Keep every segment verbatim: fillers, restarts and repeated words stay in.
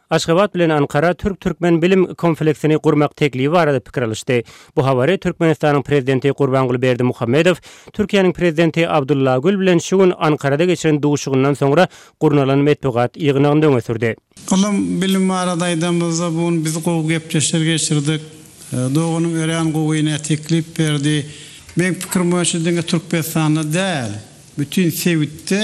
Aşgabat bilen Ankara türk-türkmen bilim kompleksini gurmak teklibi barada pikir alyşdy. Bu habary Türkmenistanyň prezidenti Gurbanguly Berdimuhamedow Türkiýäniň prezidenti Abdulla Gül bilen şu gün Ankarada geçiren duşuşygyndan soňra gurnalan metbugat ýygnagynda öňe sürdi. Ylym bilim barada aýdamyzda bu gün biz gowy gepleşikler geçirdik. Doganym örän gowy teklip berdi. Meň pikirim boýunça diňe Türkmenistanda däl, bütin sebitde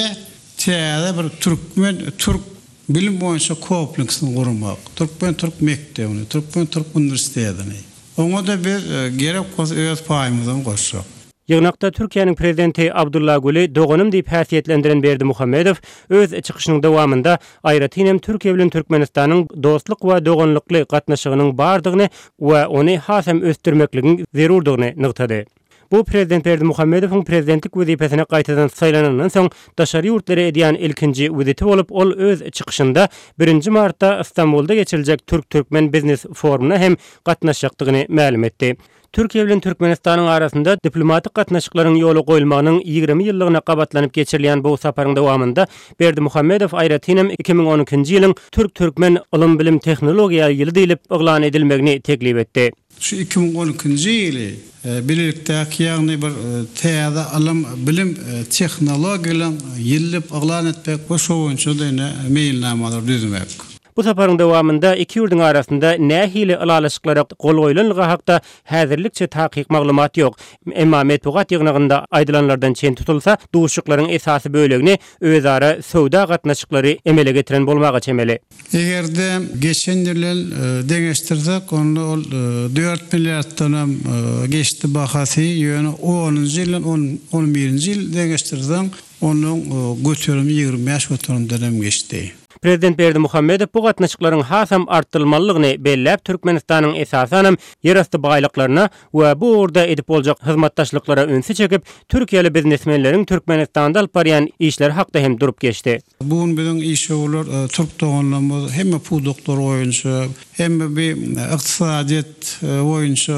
täze bir türkmen türk bilim boýunça kompleksini gurmak, türkmen türk mekdebini, türkmen türk uniwersitetini. Oňa-da biz gerek bolsa öz paýymyzy goşjak. Ýygnakda Türkiýäniň prezidenti Abdulla Güli doganym diýip häsiýetlendiren Berdimuhamedow öz çykyşynyň dowamynda aýratyn hem Türkiýe bilen Türkmenistanyň dostluk we doganlykly gatnaşygynyň bardygyny we ony has hem ösdürmekligiň zerurdygyny nygtady. Bu prezident Berdimuhamedowyň prezidentlik wezipesine gaýtadan saýlanandan soň daşary ýurtlara edýän ilkinji wiziti bolup, ol öz çykyşynda birinji martda Istanbulda geçiriljek Türk-Türkmen biznes forumuna hem gatnaşjakdygyny mälim etdi. Türkiýe bilen Türkmenistanyň arasynda diplomatik gatnaşyklaryň ýola goýulmagynyň ýigrimi ýyllygyna gabatlanyp geçirilýän bu saparyň dowamynda Berdimuhamedow aýratyn hem iki müň on ikinji ýylyň Türk-Türkmen ylym-bilim tehnologiýa ýyly diýlip yglan edilmegini teklip etdi. Şu iki müň on ikinji ýyly bilelikdäki, ýagny bir täze ylym, bilim tehnologiýalaryň ýyly diýip yglan etmek we şo boýunça da ine meýilnamalar düzmek. Bu saparyň dowamynda iki ýurduň arasynda nähili ylalaşyklara gol goýlanlygy hakda häzirlikçe takyk maglumat ýok. Emma metbugat ýygnagynda aýdylanlardan çen tutulsa, duşuşyklaryň esasy bölegini özara söwda gatnaşyklary emele getiren bolmaga çemeli. Eger-de geçen ýyl deňeşdirsek, onda ol dört milliarddan hem geçdi bahasy, ýöne onunjy ýyldan on birinji ýyl deňeşdirseň, onuň göterimi ýigrimi bäş göterimden hem geçdi. Prezident Berdimuhamedow bu gatnaşyklaryň hasam artdyrylmalydygyny belläp, Türkmenistanyň esasanam ýerasty baýlyklaryna we bu ugurda edip boljak hyzmatdaşlyklara ünsi çekip, Türkiýeli biznesmenleriň Türkmenistanda alyp barýan işleri hakda hem durup geçdi. Bu gün biziň işewürler türk doganlarymyz hemme pudaklar boýunça, hemme bir ykdysadyýet boýunça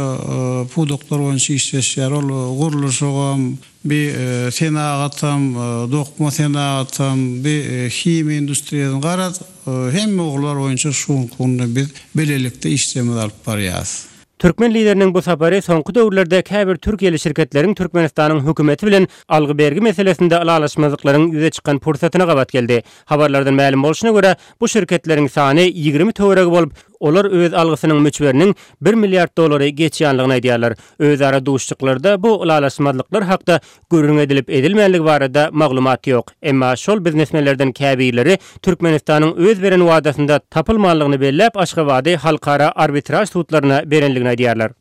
pudaklar boýunça işleşýär. Ol gurluşygam, bir senagatam, dokma senagatam, bir himiýa industriýasy garaz, hemme ugurlar boýunça şu günde biz bilelikde işlerimizi alyp barýarys. Türkmen lideriniň bu sapary soňky döwürlerde käbir türkiýeli şirketleriň Türkmenistanyň hökümeti bilen algy-bergi meselesinde ylalaşmazlyklaryň ýüze çykan pursatyna gabat geldi. Habarlardan mälim bolşuna görä, bu şirketleriň sany ýigrimi töweregi bolup, olar öz algysynyň möçberiniň bir milliard dolary geçýänligini aýdýarlar. Özara duşuşyklarda bu ylalaşmazlyklar hakda gürrüň edilip edilmänligi barada maglumat ýok. Emma şol biznesmenlerden käbirleri Türkmenistanyň öz beren wadasynda tapylmanlygyny belläp, Aşgabady halkara arbitraj sudlaryna berenligini aýdýarlar.